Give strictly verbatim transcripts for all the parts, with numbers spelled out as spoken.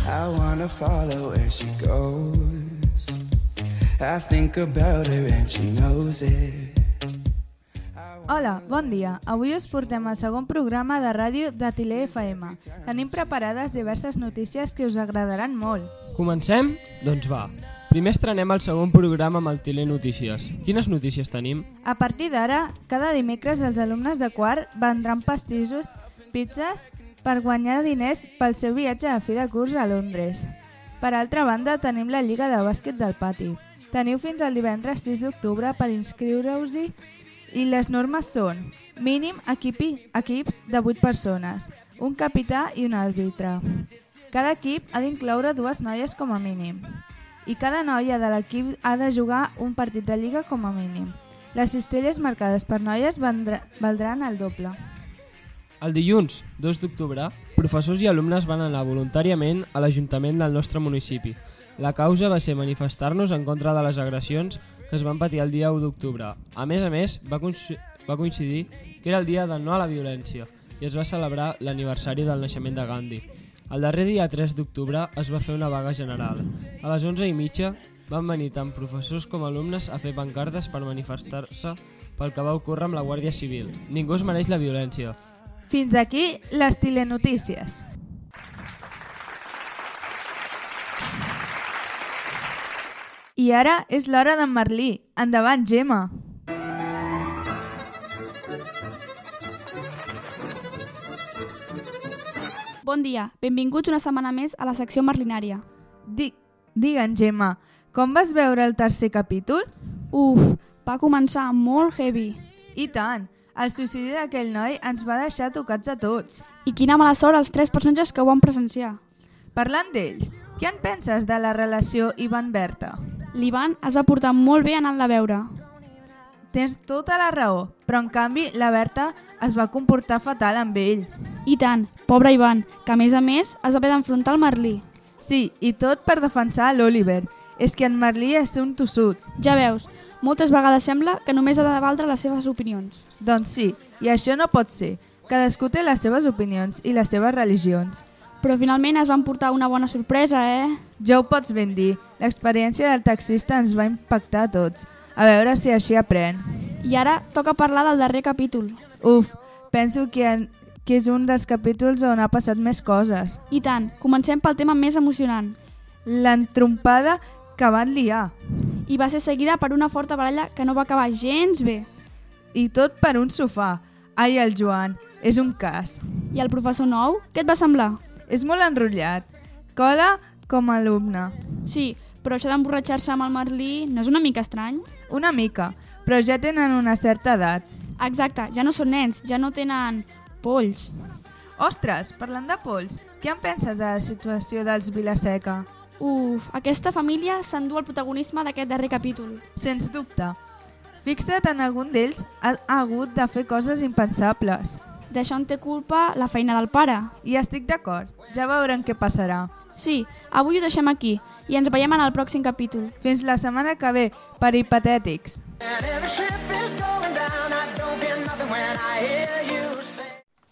I wanna follow where she goes. I think about her and she knows it. Hola, bon dia. Avui us portem el segon programa de ràdio de Tile F M. Tenim preparades diverses notícies que us agradaran molt. Comencem? Doncs va. Primer estrenem el segon programa amb el Tile Notícies. Quines notícies tenim? A partir d'ara, cada dimecres els alumnes de quart vendran pastissos, pizzas, per guanyar diners pel seu viatge a fi de curs a Londres. Per altra banda, tenim la Lliga de Bàsquet del Pati. Teniu fins al divendres sis d'octubre per inscriure-us-hi i les normes són mínim equipi, equips de vuit persones, un capità i un àrbitre. Cada equip ha d'incloure dues noies com a mínim i cada noia de l'equip ha de jugar un partit de lliga com a mínim. Les cistelles marcades per noies vendrà, valdran el doble. El dilluns, dos d'octubre, professors i alumnes van anar voluntàriament a l'Ajuntament del nostre municipi. La causa va ser manifestar-nos en contra de les agressions que es van patir el dia u d'octubre. A més a més, va, va coincidir que era el dia de no a la violència i es va celebrar l'aniversari del naixement de Gandhi. El darrer dia tres d'octubre es va fer una vaga general. A les onze i mitja van venir tant professors com alumnes a fer pancartes per manifestar-se pel que va ocórrer amb la Guàrdia Civil. Ningú es mereix la violència. Fins aquí les telenotícies. I ara és l'hora d'en Merlí. Endavant, Gemma! Bon dia, benvinguts una setmana més a la secció merlinària. Di Digue'm, Gemma, com vas veure el tercer capítol? Uf, va començar molt heavy. I tant! El suïcidi d'aquell noi ens va deixar tocats a tots. I quina mala sort els tres personatges que ho van presenciar. Parlant d'ells, què en penses de la relació Ivan-Berta? L'Ivan es va portar molt bé anant-la a veure. Tens tota la raó, però en canvi la Berta es va comportar fatal amb ell. I tant, pobre Ivan, que a més a més es va haver d'enfrontar al Merlí. Sí, i tot per defensar l'Oliver. És que en Merlí és un tossut. Ja veus, moltes vegades sembla que només ha de valdre les seves opinions. Doncs sí, i això no pot ser. Cadascú té les seves opinions i les seves religions. Però finalment es van portar una bona sorpresa, eh? Ja ho pots ben dir. L'experiència del taxista ens va impactar a tots. A veure si així aprèn. I ara toca parlar del darrer capítol. Uf, penso que, en, que és un dels capítols on ha passat més coses. I tant, comencem pel tema més emocionant. L'entrompada que van liar. I va ser seguida per una forta baralla que no va acabar gens bé. I tot per un sofà. Ai, el Joan, és un cas. I el professor nou, què et va semblar? És molt enrotllat. Cola com a alumne. Sí, però això d'emborratxar-se amb el Merlí no és una mica estrany? Una mica, però ja tenen una certa edat. Exacte, ja no són nens, ja no tenen polls. Ostres, parlant de polls, què en penses de la situació dels Vilaseca? Uf, aquesta família s'endú el protagonisme d'aquest darrer capítol. Sens dubte. Fixa't en algun d'ells ha, ha hagut de fer coses impensables. D'això en té culpa la feina del pare. I estic d'acord, ja veurem què passarà. Sí, avui ho deixem aquí i ens veiem en el pròxim capítol. Fins la setmana que ve, per hipotètics.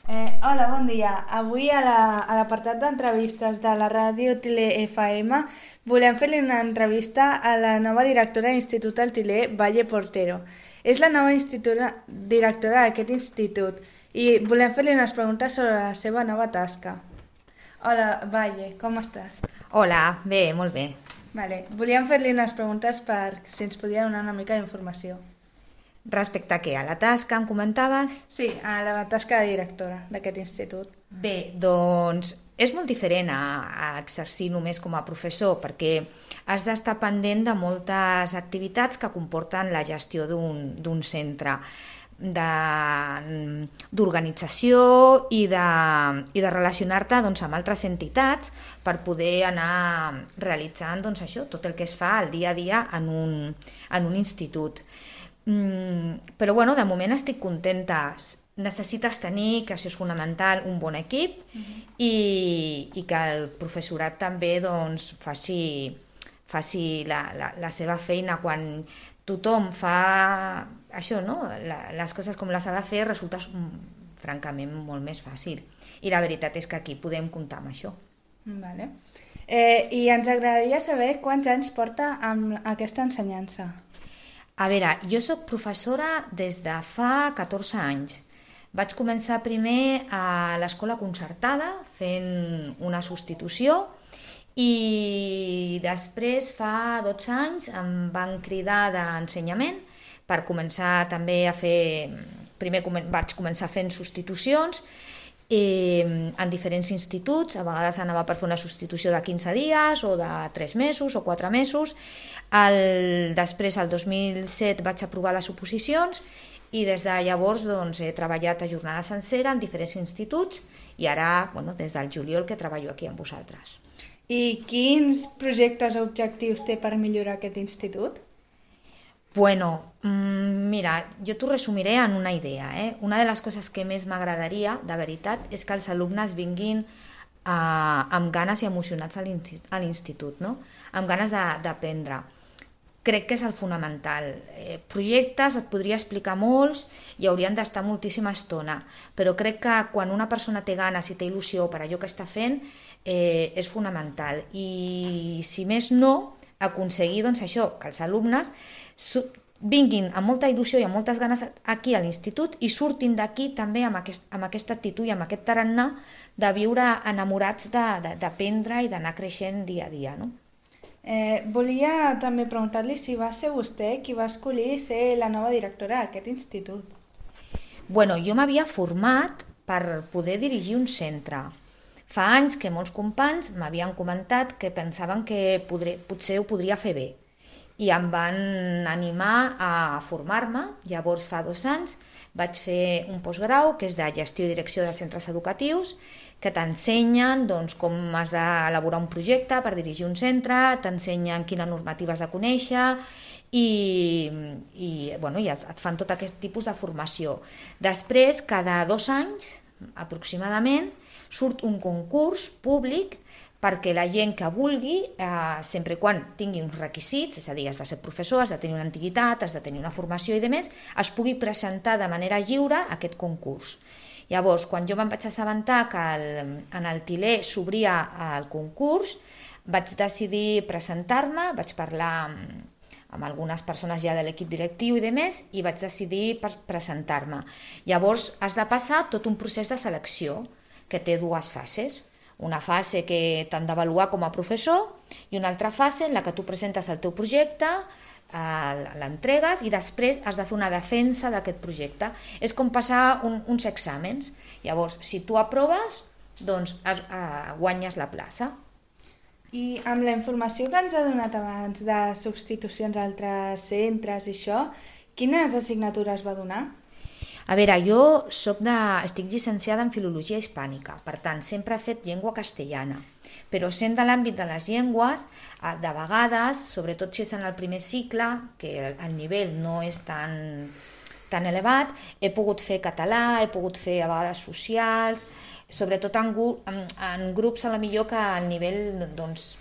Eh, hola, bon dia. Avui a l'apartat la, d'entrevistes de la ràdio Tile F M volem fer-li una entrevista a la nova directora de l'Institut del Tile, Valle Portero. És la nova directora d'aquest institut i volem fer-li unes preguntes sobre la seva nova tasca. Hola, Valle, com estàs? Hola, bé, molt bé. Vale. Volíem fer-li unes preguntes per si ens podia donar una mica d'informació. Respecte a què? A la tasca, em comentaves? Sí, a la tasca de directora d'aquest institut. Bé, doncs és molt diferent a, a exercir només com a professor perquè has d'estar pendent de moltes activitats que comporten la gestió d'un d'un centre, d'organització i de, i de relacionar-te doncs, amb altres entitats per poder anar realitzant doncs, això, tot el que es fa al dia a dia en un, en un institut. Mm, però bueno, de moment estic contenta. Necessites tenir, que això és fonamental, un bon equip uh-huh. i, i que el professorat també doncs, faci, faci la, la, la seva feina. Quan tothom fa això, no? la, les coses com les ha de fer, resulta francament molt més fàcil. I la veritat és que aquí podem comptar amb això. Vale. Eh, I ens agradaria saber quants anys porta amb aquesta ensenyança. A veure, jo sóc professora des de fa catorze anys. Vaig començar primer a l'escola concertada fent una substitució i després fa dotze anys em van cridar d'ensenyament per començar també a fer... Primer vaig començar fent substitucions en diferents instituts, a vegades anava per fer una substitució de quinze dies o de tres mesos o quatre mesos. El, després, el dos mil set, vaig aprovar les oposicions i des de llavors doncs, he treballat a jornada sencera en diferents instituts i ara, bueno, des del juliol que treballo aquí amb vosaltres. I quins projectes o objectius té per millorar aquest institut? Bueno, mira, jo t'ho resumiré en una idea. Eh? Una de les coses que més m'agradaria, de veritat, és que els alumnes vinguin eh, amb ganes i emocionats a l'institut, no? Amb ganes d'aprendre. Crec que és el fonamental. Eh, projectes, et podria explicar molts i haurien d'estar moltíssima estona, però crec que quan una persona té ganes i té il·lusió per allò que està fent, eh, és fonamental. I si més no, aconseguir doncs, això, que els alumnes vinguin amb molta il·lusió i amb moltes ganes aquí a l'institut i surtin d'aquí també amb, aquest, amb aquesta actitud i amb aquest tarannà de viure enamorats d'aprendre i d'anar creixent dia a dia. No? Eh, volia també preguntar-li si va ser vostè qui va escollir ser la nova directora d'aquest institut. Bueno, jo m'havia format per poder dirigir un centre. Fa anys que molts companys m'havien comentat que pensaven que podré, potser ho podria fer bé i em van animar a formar-me. Llavors fa dos anys vaig fer un postgrau que és de gestió i direcció de centres educatius que t'ensenyen doncs, com has d'elaborar un projecte per dirigir un centre, t'ensenyen quines normatives de conèixer i, i, bueno, i et fan tot aquest tipus de formació. Després, cada dos anys aproximadament, surt un concurs públic perquè la gent que vulgui, eh, sempre quan tingui uns requisits, és a dir, has de ser professor, has de tenir una antiguitat, has de tenir una formació i demés, es pugui presentar de manera lliure a aquest concurs. Llavors, quan jo me'n vaig assabentar que el, en el Til·ler s'obria el concurs, vaig decidir presentar-me, vaig parlar amb, amb algunes persones ja de l'equip directiu i demés, i vaig decidir presentar-me. Llavors, has de passar tot un procés de selecció, que té dues fases. Una fase que t'han d'avaluar com a professor i una altra fase en la que tu presentes el teu projecte, l'entregues i després has de fer una defensa d'aquest projecte. És com passar un, uns exàmens. Llavors, si tu aproves, doncs has, uh, guanyes la plaça. I amb la informació que ens ha donat abans de substitucions a altres centres i això, quines assignatures va donar? A veure, jo soc de, estic llicenciada en Filologia Hispànica, per tant, sempre he fet llengua castellana, però sent de l'àmbit de les llengües, de vegades, sobretot si és en el primer cicle, que el nivell no és tan, tan elevat, he pogut fer català, he pogut fer a vegades socials, sobretot en, en, en grups a la millor que el nivell doncs,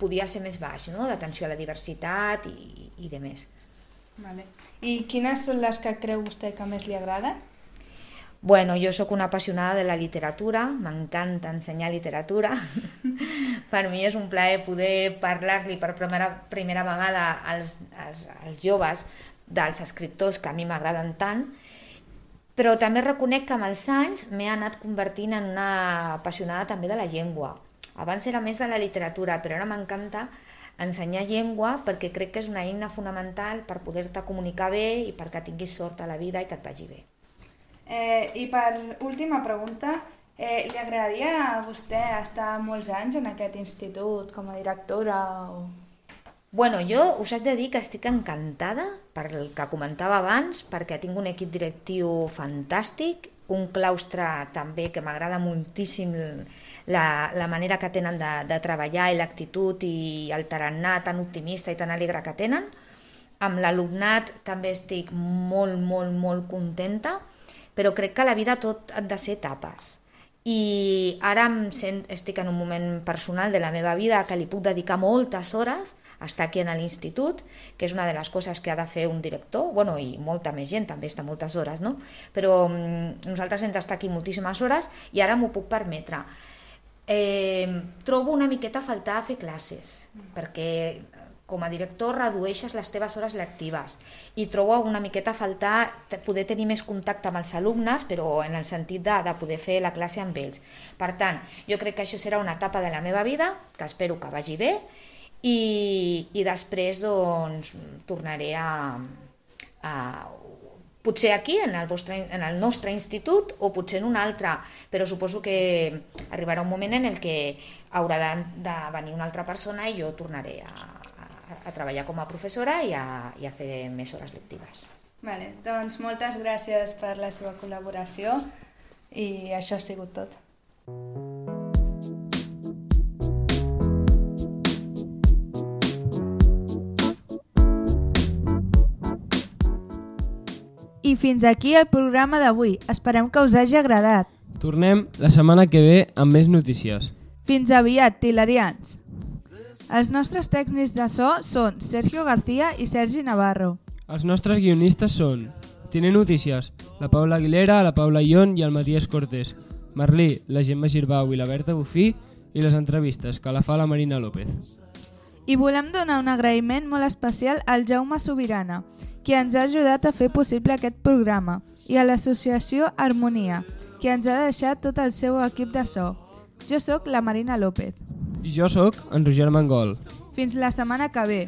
podia ser més baix, no? D'atenció a la diversitat i, i de més. Vale. I quines són les que creu vostè que més li agrada? Bueno, jo sóc una apassionada de la literatura, m'encanta ensenyar literatura. Per mi és un plaer poder parlar-li per primera, primera vegada als, als, als joves dels escriptors que a mi m'agraden tant, però també reconec que amb els anys m'he anat convertint en una apassionada també de la llengua. Abans era més de la literatura, però ara m'encanta ensenyar llengua perquè crec que és una eina fonamental per poder-te comunicar bé i perquè tinguis sort a la vida i que et vagi bé. Eh, I per última pregunta, eh, li agradaria a vostè estar molts anys en aquest institut com a directora? O... Bueno, jo us haig de dir que estic encantada per el que comentava abans, perquè tinc un equip directiu fantàstic, un claustre també que m'agrada moltíssim la, la manera que tenen de, de treballar i l'actitud i el tarannà tan optimista i tan alegre que tenen. Amb l'alumnat també estic molt, molt, molt contenta, però crec que a la vida tot ha de ser etapes. I ara em sent, estic en un moment personal de la meva vida que li puc dedicar moltes hores a estar aquí a l'institut, que és una de les coses que ha de fer un director, bueno, i molta més gent també està moltes hores, no? Però mm, nosaltres hem d'estar aquí moltíssimes hores i ara m'ho puc permetre. eh, trobo una miqueta a faltar a fer classes, perquè com a director redueixes les teves hores lectives i trobo una miqueta a faltar poder tenir més contacte amb els alumnes, però en el sentit de, de poder fer la classe amb ells. Per tant, jo crec que això serà una etapa de la meva vida, que espero que vagi bé, i, i després doncs, tornaré a, a potser aquí, en el, vostre, en el nostre institut, o potser en un altre, però suposo que arribarà un moment en el que haurà de, de venir una altra persona i jo tornaré a a treballar com a professora i a, i a fer més hores lectives. Vale, doncs moltes gràcies per la seva col·laboració i això ha sigut tot. I fins aquí el programa d'avui. Esperem que us hagi agradat. Tornem la setmana que ve amb més notícies. Fins aviat, tilerians! Els nostres tècnics de so són Sergio García i Sergi Navarro. Els nostres guionistes són Tine Notícies, la Paula Aguilera, la Paula Ion i el Matías Cortés, Merlí, la Gemma Girbau i la Berta Bufí, i les entrevistes, que la fa la Marina López. I volem donar un agraïment molt especial al Jaume Sobirana, qui ens ha ajudat a fer possible aquest programa, i a l'associació Harmonia, qui ens ha deixat tot el seu equip de so. Jo sóc la Marina López. I jo sóc en Roger Mangol. Fins la setmana que ve.